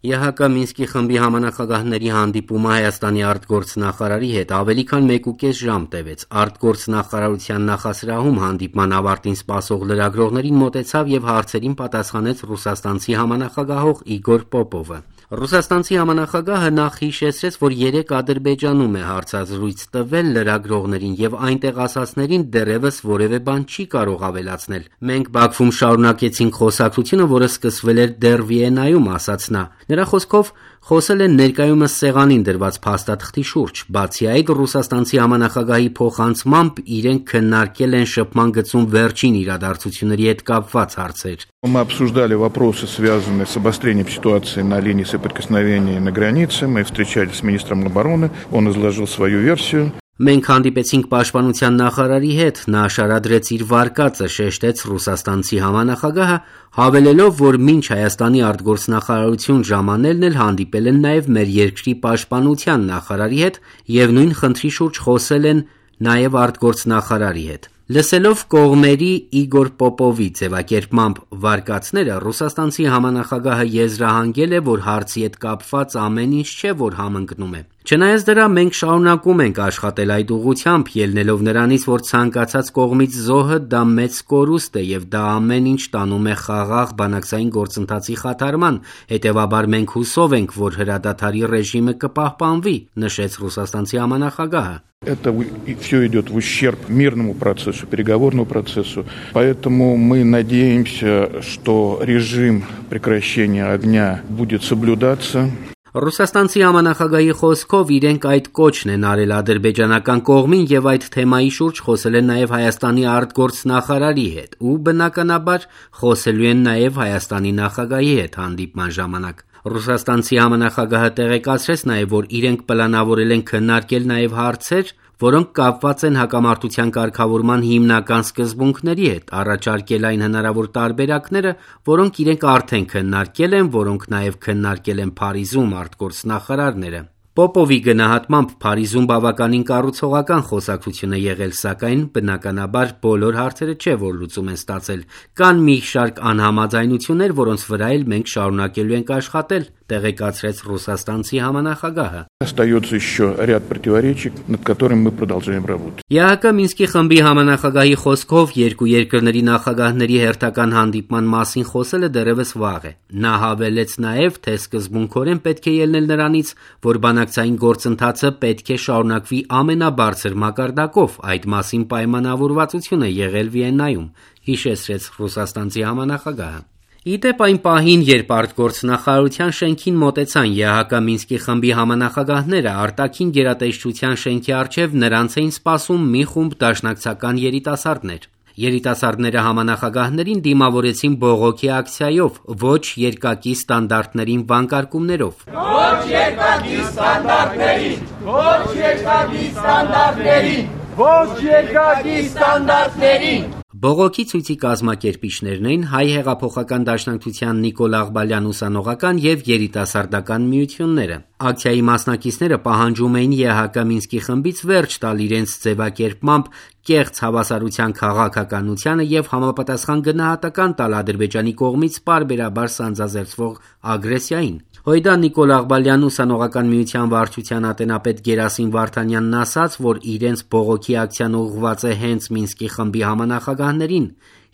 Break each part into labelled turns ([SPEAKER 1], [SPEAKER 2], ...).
[SPEAKER 1] ԵՀԿ Մինսկի խմբի համանախագահների հանդիպումը Հայաստանի արտգործնախարարի հետ ավելի քան 1.5 ժամ տևեց։ Արտգործնախարարության նախասրահում հանդիպման ավարտին սպասող լրագրողներին մոտեցավ եւ հարցերին պատասխանեց ռուսաստանցի համանախագահող Իգոր Պոպովը։ Ռուսաստանցի համանախագահը նախ հիշեցրեց, որ 3 Ադրբեջանում է հարցազրույց տվել լրագրողներին եւ այնտեղ ասածներին դեռևս որևէ բան չի կարող ավելացնել։ Մենք Բաքվում շարունակեցինք խոսակցությունը, որը սկսվել էր դեռ Վիեննայում, ասաց նա։ Նրա խոսքով խոսել են ներկայումս սեղանին դրված փաստաթղթի շուրջ։ Բացի այդ, ռուսաստանցի համանախագահի փոխանցմամբ իրենք քննարկել են շփման գծում վերջին իրադարձությունների հետ կապված հարցեր։
[SPEAKER 2] Мы обсуждали вопросы, связанные с обострением ситуации на линии соприкосновения на границе. Мы встречались с министром обороны, он изложил свою версию.
[SPEAKER 1] Մենք հանդիպեցինք պաշտպանության նախարարի հետ, նա շարադրեց իր վարկածը, շեշտեց ռուսաստանցի համանախագահը, հավելելով, որ մինչ Հայաստանի արտգործնախարարություն ժամանելն էլ հանդիպել են նաև մեր երկրի պաշտպանության նախարարի հետ եւ նույն խնդրի շուրջ խոսել են նաև արտգործնախարարի հետ։ Լսելով կողմերի Իգոր Պոպովի ձևակերպմամբ վարկածները, ռուսաստանցի համանախագահը եզրահանգել է, որ հարցի հետ կապված ամեն ինչ չէ, որ համընկնում է։ Չնայած դրա, մենք շարունակում ենք աշխատել այդ ուղղությամբ, ելնելով նրանից, որ ցանկացած կողմից զոհը դա մեծ կորուստ է եւ դա ամեն ինչ տանում է խաղաղ բանակցային գործընթացի խաթարման, հետեւաբար մենք հուսով ենք, որ հրադադարի ռեժիմը կպահպանվի, նշեց ռուսաստանցի համանախագահը։
[SPEAKER 2] Это все идет в ущерб мирному процессу, переговорному процессу. Поэтому мы надеемся, что режим прекращения огня будет соблюдаться.
[SPEAKER 1] Ռուսաստանցի համանախագահի խոսքով իրենք այդ կոչն են արել ադրբեջանական կողմին եւ այդ թեմայի շուրջ խոսել են նաեւ Հայաստանի արտգործնախարարի հետ ու բնականաբար խոսելու են նաեւ Հայաստանի նախագահի հետ հանդիպման ժամանակ։ Ռուսաստանցի համանախագահը տեղեկացրեց նաեւ, որ իրենք պլանավորել են քննարկել նաեւ հարցեր, որոնք կապված են հակամարտության կարգավորման հիմնական սկզբունքների հետ, առաջարկել այն հնարավոր տարբերակները, որոնք իրենք արդեն քննարկել են, որոնք նաև քննարկել են Փարիզում արտգործնախարարները։ Պոպովի գնահատմամբ Փարիզում բավականին կառուցողական խոսակցություն է եղել, սակայն բնականաբար բոլոր հարցերը չէ, որ լուծում են ստացել։ Կան մի շարք անհամաձայնություններ, որոնց վրա էլ մենք շարունակելու ենք աշխատել, տեղեկացրեց ռուսաստանցի համանախագահը։
[SPEAKER 2] Остается еще ряд противоречий, над которыми мы продолжаем работать.
[SPEAKER 1] ԵՀԿ Մինսկի խմբի համանախագահի խոսքով երկու երկրների նախագահների հերթական հանդիպման մասին խոսելը դեռևս վաղ է։ Նա հավելեց նաև, թե սկզբունքորեն պետք է ելնել նրանից, որ բանակցային գործընթացը պետք է շարունակվի ամենաբարձր մակարդակով, այդ մասին պայմանավորվածություն է եղել Վիեննայում, հիշեցրեց ռուսաստանցի համանախագահը։ Իդեպ այն պահին, երբ արտգործնախարարության շենքին մոտեցան ԵՀԿ Մինսկի խմբի համանախագահները, արտաքին գերատեսչության շենքի առջև նրանց էին սպասում մի խումբ դաշնակցական երիտասարդներ։ Երիտասարդները համանախագահներին դիմավորեցին բողոքի ակցիայով, ոչ երկակի ստանդարտներին վանկարկումներով։
[SPEAKER 3] Ոչ երկակի ստանդարտներին, ոչ երկակի ստանդարտներին, ոչ երկակի ստանդարտներին։
[SPEAKER 1] Բողոքի ցույցի կազմակերպիչներն էին Հայ հեղափոխական դաշնակցության Նիկոլ Աղբալյան ուսանողական եւ երիտասարդական միությունները։ Ակցիայի մասնակիցները պահանջում էին ԵՀԿ Մինսկի խմբից վերջ տալ իրենց ձևակերպմամբ կեղծ հավասարության քաղաքականությանը եւ համապատասխան գնահատական տալ Ադրբեջանի կողմից պարբերաբար սանձազերծվող ագրեսիային։ Հույդա Նիկոլ Աղբալյան ուսանողական միության վարչության ատենապետ Գերասիմ Վարդանյանն ասաց, որ իրենց բողոքի ակցիան ուղղված է հենց Մինսկի խմբի համանախագահներին,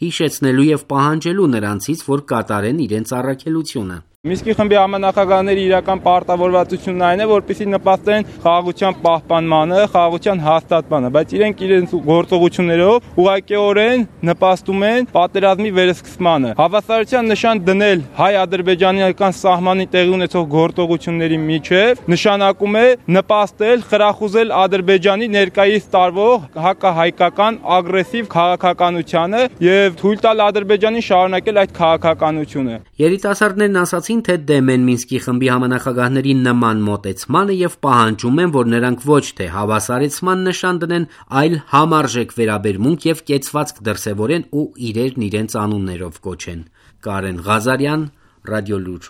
[SPEAKER 1] հիշեցնելու եւ պահանջելու նրանցից, որ կատարեն իրենց առաքելությունը։
[SPEAKER 4] Մինսկի խմբի համանախագահների իրական պարտավորվածությունն այն է, որպեսզի նպաստեն խաղաղության պահպանմանը, խաղաղության հաստատմանը, բայց իրենք իրենց գործողություններով ուղղակիորեն նպաստում են պատերազմի վերսկսմանը։ Հավասարության նշան դնել հայ-ադրբեջանական սահմանի տեղի ունեցող գործողությունների միջև նշանակում է նպաստել, խրախուսել Ադրբեջանի ներկայիս տարվող հակահայկական ագրեսիվ քաղաքականությանը եւ թույլ տալ Ադրբեջանին շարունակել այդ քաղաքականությունը։
[SPEAKER 1] Երիտասարդներն ասացին, թե դեմ են Մինսկի խմբի համանախագահների նման մոտեցմանը եւ պահանջում են, որ նրանք ոչ թե հավասարեցման նշան դնեն, այլ համարժեք վերաբերմունք եւ կեցվածք դրսեւորեն ու իրերն իրենց անուններով կոչեն։ Կարեն Ղազարյան, Ռադիոլուր։